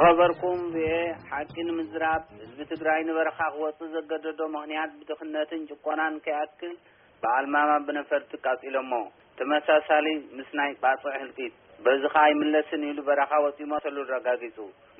ዝኸበርኩም ብኤ ሓቂ ንምዝራብ ህዝቢ ትግራይ ንበረኻ ክወፅእ ዘገደዶ ምኽንያት ብድኽነትን ጭቆናን ከይኣክል ብኣልማማ ብነፈርቲ ቃፂሎሞ። ተመሳሳሊ ምስ ናይ ባፅዕ ህልቂት በዚ ኸዓ ኣይምለስን ኢሉ በረኻ ወፂኡ መሰሉ ኣረጋጊፁ።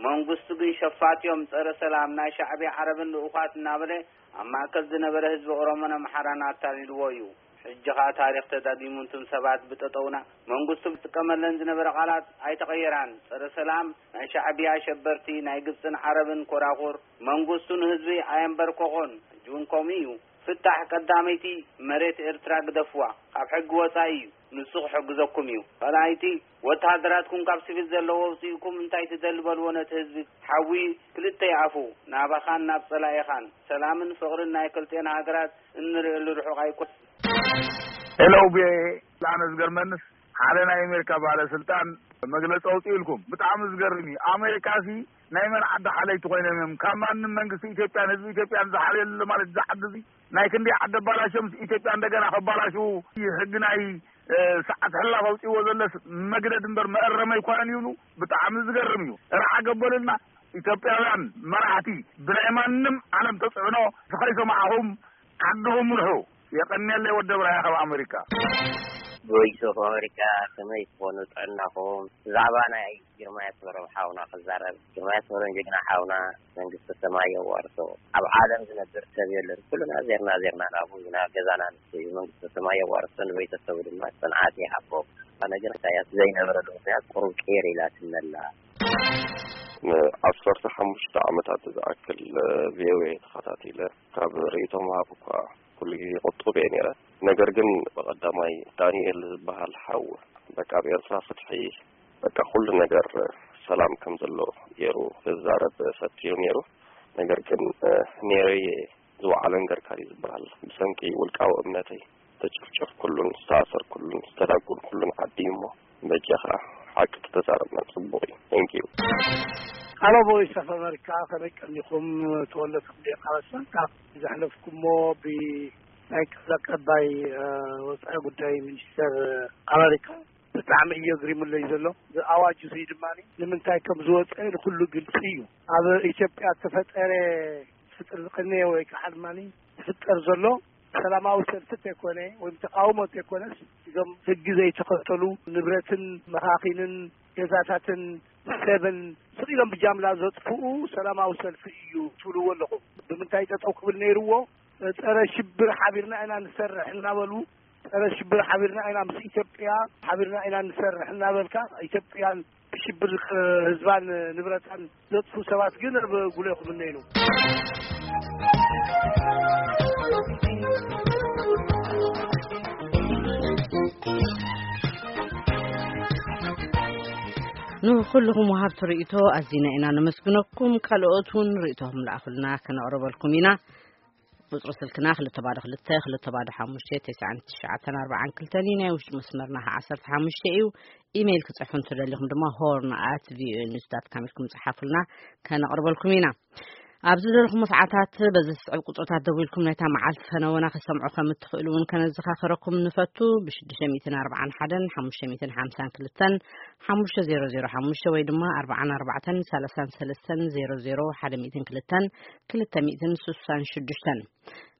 መንግስቱ ግን ሸፋት እዮም፣ ፀረ ሰላም ናይ ሻዕብያ ዓረብን ልኡኻት እናበለ ኣብ ማእከል ዝነበረ ህዝቢ ኦሮሞን ኣምሓራን ኣታሊልዎ እዩ። ሕጂ ኸዓ ታሪኽ ተዳጊሙ። እንቱም ሰባት ብጠጠውና መንግስቱ ዝጥቀመለን ዝነበረ ቃላት ኣይተቐየራን። ፀረ ሰላም ናይ ሻዕብያ ሸበርቲ ናይ ግብፅን ዓረብን ኮራኹር መንግስቱ ንህዝቢ ኣየንበርከኾን። ሕጂ እውን ከምኡ እዩ። ፍታሕ ቀዳመይቲ መሬት ኤርትራ ግደፍዋ፣ ካብ ሕጊ ወፃኢ እዩ። ንሱ ክሕግዘኩም እዩ። ካልኣይቲ ወተሃደራትኩም ካብ ሲቪል ዘለዎ ኣውፅእኩም እንታይ ትደሊ በልዎ ነቲ ህዝቢ። ሓዊ ክልተ ይኣፉ፣ ናባኻን ናብ ፀላኢኻን። ሰላምን ፍቕርን ናይ ክልቲኤን ሃገራት እንርእየሉ ርሑቕ ኣይኮን። ሄሎ ብኤ ኣነ ዝገርመንስ ሓደ ናይ ኣሜሪካ ባለስልጣን መግለፂ ኣውፅእልኩም ብጣዕሚ ዝገርም እዩ። ኣሜሪካ ሲ ናይ መን ዓዲ ሓለይቲ ኮይኖም እዮም ካብ ማንም መንግስቲ ኢትዮጵያን ህዝቢ ኢትዮጵያን ዝሓልየሉ ማለት እዚ ዓዲ እዚ ናይ ክንደይ ዓዲ ኣባላሽዮም ኢትዮጵያ እንደገና ከባላሽው ሕጊ ናይ ሰዓት ሕላ ከውፅእዎ ዘለስ መግደድ እምበር መእረም ኣይኮነን ይብሉ። ብጣዕሚ ዝገርም እዩ። ርዓ ገበሉልና ኢትዮጵያውያን መራሕቲ ብናይ ማንም ዓለም ተፅዕኖ ዝኸይሰማዕኹም ዓድኹም ምርሑ። የቐንየለይ ወዲ ብራያ ካብ ኣሜሪካ። ቮይስ ኦፍ ኣሜሪካ ከመይ ትኾኑ ጥዕናኹም? ብዛዕባ ናይ ግርማይ ኣስመሮም ሓውና ክዛረብ። ግርማይ ኣስመሮም ጀግና ሓውና መንግስተ ሰማይ የዋርሶ። ኣብ ዓለም ዝነብር ሰብ የለን። ኩልና ዜርና ዜርና ናብኡ ኢና። ገዛና ንሱ እዩ። መንግስተ ሰማይ የዋርሶ። ንቤተሰቡ ድማ ጽንዓት ይሃቦም። ኣነ ግን ኢሳያስ ዘይነብረሉ ምክንያት ቁሩብ ቅይር ኢላትኒ ኣላ። ንዓሰርተ ሓሙሽተ ዓመታት ዝኣክል ቪኦኤ ተኸታቲለ ካብ ርእይቶ ምሃብ እኳ ኩሉ ግዜ ቁጡብ እየ ነይረ። ነገር ግን ብቐዳማይ ዳንኤል ዝበሃል ሓው በቃ ኣብ ኤርትራ ፍትሒ በቃ ኩሉ ነገር ሰላም ከም ዘሎ ገይሩ ክዛረብ ፈትዩ ነይሩ። ነገር ግን ኔረየ ዝወዓለን ገርካሪ ዝበሃል ብሰንኪ ውልቃዊ እምነተይ ዝተጨፍጨፍኩሉን ዝተኣሰርኩሉን ዝተዳጎንኩሉን ዓዲ እዩ እሞ በጃኻ ሓቂ ተዛረብና ጽቡቕ እዩ። Thank you። Hello Voice of America፣ ከመይ ቀኒኹም? ተወለድኩም ዲኻ? ካብ ዘሕለፍኩሞ ብናይ ቃል ኣቀባይ ወፃኢ ጉዳይ ሚኒስተር ኣሜሪካ ብጣዕሚ እዩ ኣግሪሙለይ ዘሎ። ኣዋጅ እዚ ድማ ንምንታይ ከም ዝወፀ ንኩሉ ግልፂ እዩ። ኣብ ኢትዮጵያ ዝተፈጠረ ፍጥር ዝቀነየ ወይ ከዓ ድማ ዝፍጠር ዘሎ ሰላማዊ ሰልፊ እንተይኮነ ወይም ተቃውሞ እንተይኮነስ እዞም ህጊ ዘይተኸተሉ ንብረትን መኻኺንን ገዛታትን ሰብን ስቕ ኢሎም ብጃምላ ዘጥፍኡ ሰላማዊ ሰልፊ እዩ ትብልዎ ኣለኹም። ብምንታይ ጠጠው ክብል ነይርዎ? ጸረ ሽብር ሓቢርና ኢና ንሰርሕ እናበሉ ጸረ ሽብር ሓቢርና ኢና ምስ ኢትዮጵያ ሓቢርና ኢና ንሰርሕ እናበልካ ኢትዮጵያን ሽብር ህዝባን ንብረታን ዘጥፉ ሰባት ግን ኣብ ጉሌኹም እነይኑ። ንኩልኹም ወሃብቲ ርእይቶ ኣዚና ኢና ነመስግነኩም። ካልኦት እውን ርእይቶኹም ለኣኹልና ከነቕርበልኩም ኢና። ቁፅሪ ስልክና ክልተ ባዶ ክልተ ክልተ ባዶ ሓሙሽተ ተስዓን ትሽዓተን ኣርባዓን ክልተን እዩ። ናይ ውሽጢ መስመርና ከዓ ዓሰርተ ሓሙሽተ እዩ። ኢሜይል ክፅሕፉ እንትደሊኹም ድማ ሆርን ኣት ቪኦኤ ኒውስ ዳት ካም ኢልኩም ፅሓፉልና፣ ከነቕርበልኩም ኢና። ኣብ ዝደለኹሞ ሰዓታት በዚ ዝስዕብ ቁፅርታት ደዊልኩም ናይታ መዓልቲ ፈነወና ክሰምዑ ከም እትኽእሉ እውን ከነዘኻኽረኩም ንፈቱ። ብሽዱሽተ ሚእትን ኣርባዓን ሓደን ሓሙሽተ ሚእትን ሓምሳን ክልተን ሓሙሽተ ዜሮ ዜሮ ሓሙሽተ ወይ ድማ ኣርባዓን ኣርባዕተን ሰላሳን ሰለስተን ዜሮ ዜሮ ሓደ ሚእትን ክልተን ክልተ ሚእትን ስሳን ሽዱሽተን።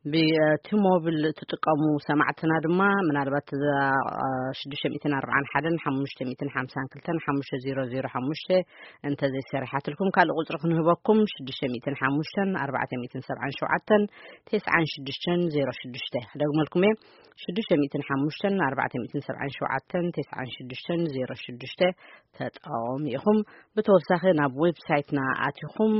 ብቲ ሞብል እትጥቀሙ ሰማዕትና ድማ ምናልባት እዛ ሽዱሽተ ሚእትን ኣርባዓን ሓደን ሓሙሽተ ሚእትን ሓምሳን ክልተን ሓሙሽተ ዜሮ ዜሮ ሓሙሽተ እንተዘይሰሪሓትልኩም ካልእ ቁፅሪ ክንህበኩም ሽዱሽተ ሚእትን ሓሙሽተን ኣርባዕተ ሚእትን ሰብዓን ሸውዓተን ተስዓን ሽዱሽተን ዜሮ ሽዱሽተ ክደግመልኩም እየ። ሽዱሽተ ሚእትን ሓሙሽተን ኣርባዕተ ሚእትን ሰብዓን ሸውዓተን ተስዓን ሽዱሽተን ዜሮ ሽዱሽተ ተጠቐሙ ኢኹም። ብተወሳኺ ናብ ዌብሳይትና ኣቲኹም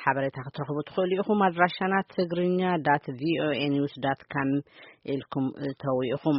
ሓበሬታ ክትረኽቡ ትኽእሉ ኢኹም። ኣድራሻና ትግርኛ ዳት ቪኦኤ ኒውስ ዳት ካም ኢልኩም እተው ኢኹም።